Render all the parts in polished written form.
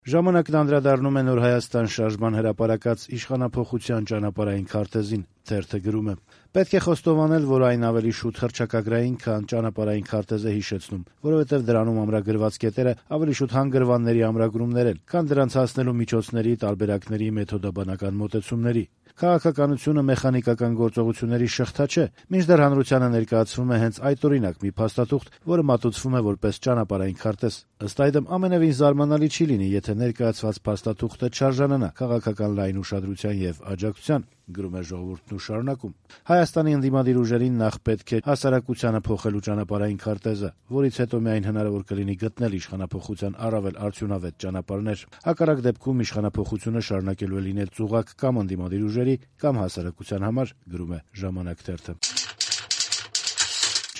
Ժամանակն անդրադառնում է Նոր Հայաստան շարժման հրապարակած իշխանափոխության ճանապարհային քարտեզին, թերթը գրում է. «Պետք է խոստովանել, որ այն ավելի շուտ հռչակագրային, քան ճանապարհային քարտեզը հիշեցնում, որովհետև դրանում ամրագրված կետերը ավելի շուտ հանգրվանների ամրագրումներ են, քան դրանց հասնելու միջոցների, տարբերակների, մեթոդաբանական մոտեցումների։ Քաղաքականությունը մեխանիկական գործողությունների շղթա չէ, մինչդեռ հանրությանը ներկայացվում է հենց այդօրինակ մի փաստաթուղթ, որը մատուցվում է որպես ճանապարհային քարտեզ։ Ըստ այդմ, ամենեւին զարմանալի չի լինի, եթե ներկայացված փաստաթուղթը չարժանանա քաղաքական լայն ուշադրության եւ աջակցության», գրում է «Ժողովուրդն» ու շարունակում. «Հայաստանի ընդդիմադիր ուժերին նախ պետք է հասարակությանը փոխելու ճանապարհային քարտեզը, որից հետո միայն հնարավոր կլինի գտնել իշխանափոխության առավել արդյունավետ ճանապարհներ։ Հակառակ դեպքում իշխանափոխությունը շարունակելու է լինել ծուղակ կամ ընդդիմադիր ուժերի, կամ հասարակության համար», գրում է «Ժամանակ» թերթը։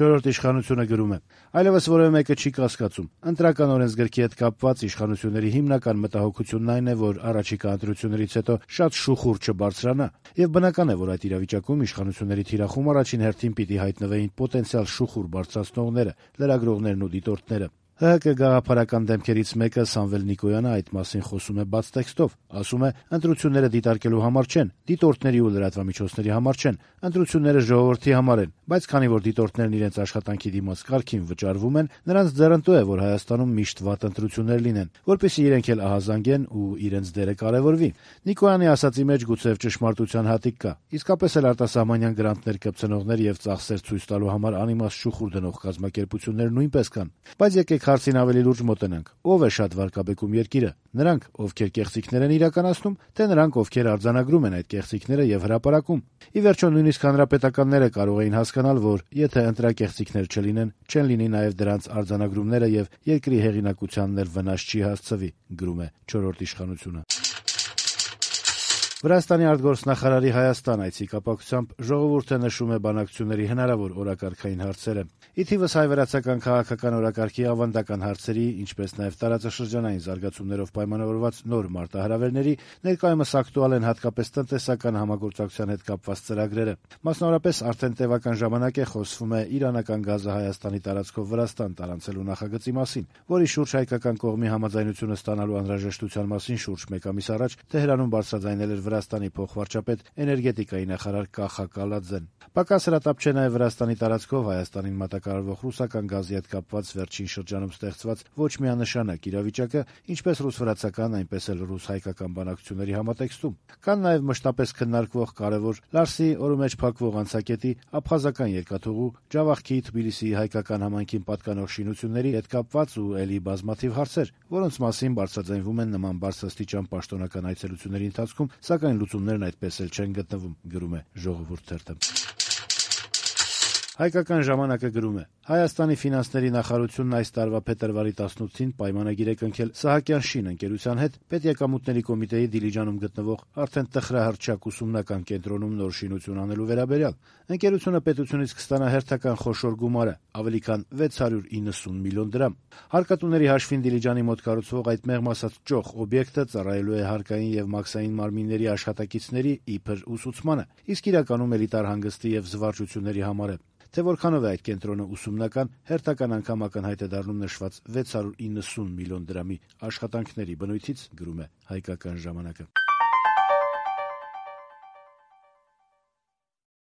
«Չորրորդ իշխանություն»-ը գրում է. «Այլևս որեւէ մեկը չի կասկածում. ընտրական օրենսգրքի հետ կապված իշխանությունների հիմնական մտահոգությունն այն է, որ առաջիկա ընտրություններից հետո շատ շուխուր չբարձրանա, եւ բնական է, որ այդ իրավիճակում իշխանությունների թիրախում առաջին հերթին պիտի հայտնվեին պոտենցիալ շուխուր բարձրացնողները, լրագրողներն ու դիտորդները։ ՀՀԿ գաղափարական դեմքերից մեկը Սամվել Նիկոյանը այդ մասին խոսում է բաց տեքստով, ասում է. ընտրությունները դիտարկելու համար չեն, դիտորդների ու լրատվամիջոցների համար չեն, ընտրությունները ժողովրդի համար են, բայց քանի որ դիտորդներն իրենց աշխատանքի դիմաց կարգին վճարվում են, նրանց ձեռնտու է, որ Հայաստանում միշտ վատ ընտրություններ լինեն, որպեսզի իրենք էլ ահազանգեն ու իրենց դերը կարեւորվի։ Նիկոյանի ասածի մեջ գուցեւ ճշմարտության հատիկ կա, իսկապես էլ արտասահմանյան գրանտներ կպցնողներ եւ ծախսեր ցույց տալու համար անիմաստ շուխուր դնող կազմակերպություններ նույնպես կան, բայց եկեք հարցին ավելի լուրջ մոտենանք. ով է շատ վարկաբեկում երկիրը, նրանք, ովքեր կեղծիքներ են իրականացնում, թե նրանք, ովքեր արձանագրում են այդ կեղծիքները եւ հրապարակում։ Ի վերջո նույնիսկ հանրապետականները կարող էին հասկանալ, որ եթե ընտրակեղծիքներ չլինեն, չեն լինի նաեւ դրանց արձանագրումները եւ երկրի հեղինակությանն էլ վնաս չի հասցվի», գրում է «Չորրորդ իշխանություն»-ը։ Վրաստանի արտգործնախարարի Հայաստան այցի կապակցությամբ «Ժողովուրդը» նշում է բանակցությունների հնարավոր օրակարգային հարցերը։ Ի թիվս հայ-վրացական քաղաքական օրակարգի ավանդական հարցերի, ինչպես նաեւ տարածաշրջանային զարգացումներով պայմանավորված նոր մարտահրավերների, ներկայումս ակտուալ են հատկապես տնտեսական համագործակցության հետ կապված ծրագրերը։ Մասնավորապես արդեն տևական ժամանակ է խոսվում է իրանական գազը Հայաստանի տարածքով Վրաստան տարանցելու նախագծի մասին, որի շուրջ հայկական կողմի համաձայնությունը ստանալու անհրաժեշտության մասին շուրջ մեկ ամիս առաջ Թեհրանում բարձրաձայնել էր Վրաստանի փոխվարչապետ էներգետիկայի նախարար Կախա Կալաձեն։ Պակաս հրատապ չէ նաեւ Վրաստանի տարածքով Հայաստանին մատակարարվող ռուսական գազի հետ կապված վերջին շրջանում ստեղծված ոչ միանշանակ իրավիճակը, ինչպես ռուս-վրացական, այնպես էլ ռուս-հայկական բանակցությունների համատեքստում։ Կան նաեւ մշտապես քննարկվող կարեւոր Լարսի օրու մեջ փակվող անցակետի, աբխազական երկաթուղու, Ջավախքի, Թբիլիսիի հայկական համայնքին պատկանող շինությունների հետ կապված ու ելի բազմաթիվ հարցեր, որոնց մասին բարձրաձայնվում են նման բարձրաստիճան պաշտոնական այցելությունների ընթացքում, սակայն լուծումներն այդպես էլ չեն գտնվում, գրում է «Ժողովուրդ» թերթը։ Հայկական ժամանակը գրում է. Հայաստանի ֆինանսների նախարարությունն այս տարվա փետրվարի 18-ին պայմանագիր է կնքել Սահակյան շին ընկերության հետ պետեկամուտների կոմիտեի Դիլիջանում գտնվող արդեն տխրահռչակ ուսումնական կենտրոնում նոր շինություն անելու վերաբերյալ։ Ընկերությունը պետությունից կստանա հերթական խոշոր գումարը՝ ավելի քան 690 միլիոն դրամ։ Հարկատուների հաշվին Դիլիջանի մոտ կառուցվող այդ մեղմ ասած ճոխ օբյեկտը ծառայելու է հարկային եւ մաքսային մարմինների աշխատակիցների իբր ուսուցմանը, իսկ իրականում էլիտար հանգստի եւ զվարճությունների համար է։ Թե որքանով է այդ կենտրոնը ուսումնական, հերթական անգամ ակնհայտ է դառնում նշված 690 միլիոն դրամի աշխատանքների բնույթից, գրում է Հայկական ժամանակը։